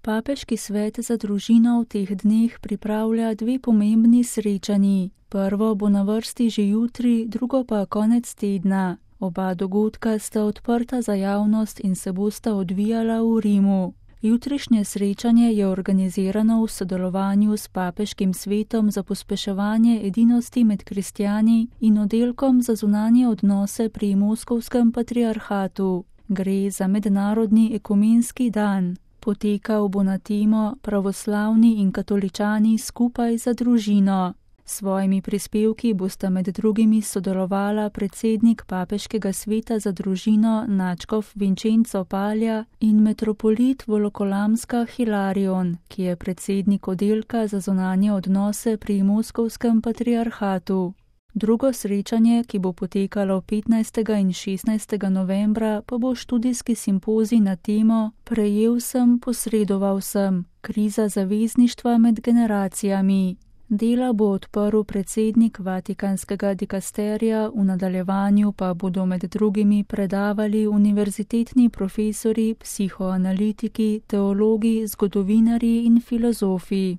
Papeški svet za družino v teh dneh pripravlja dve pomembni srečanji. Prvo bo na vrsti že jutri, drugo pa konec tedna. Oba dogodka sta odprta za javnost in se bosta odvijala v Rimu. Jutrišnje srečanje je organizirano v sodelovanju s Papeškim svetom za pospeševanje edinosti med kristjani in oddelkom za zunanje odnose pri Moskovskem patriarhatu. Gre za mednarodni ekumenski dan. Potekal bo na temo Pravoslavni in katoličani skupaj za družino. S svojimi prispevki bosta med drugimi sodelovala predsednik Papeškega sveta za družino nadškof Vincenzo Palja in metropolit Volokolamska Hilarion, ki je predsednik oddelka za zunanje odnose pri Moskovskem patriarhatu. Drugo srečanje, ki bo potekalo 15. in 16. novembra, pa bo študijski simpozij na temo Prejel sem, posredoval sem, kriza zavezništva med generacijami. Dela bo odprl predsednik Vatikanskega dikasterija, v nadaljevanju pa bodo med drugimi predavali univerzitetni profesori, psihoanalitiki, teologi, zgodovinarji in filozofi.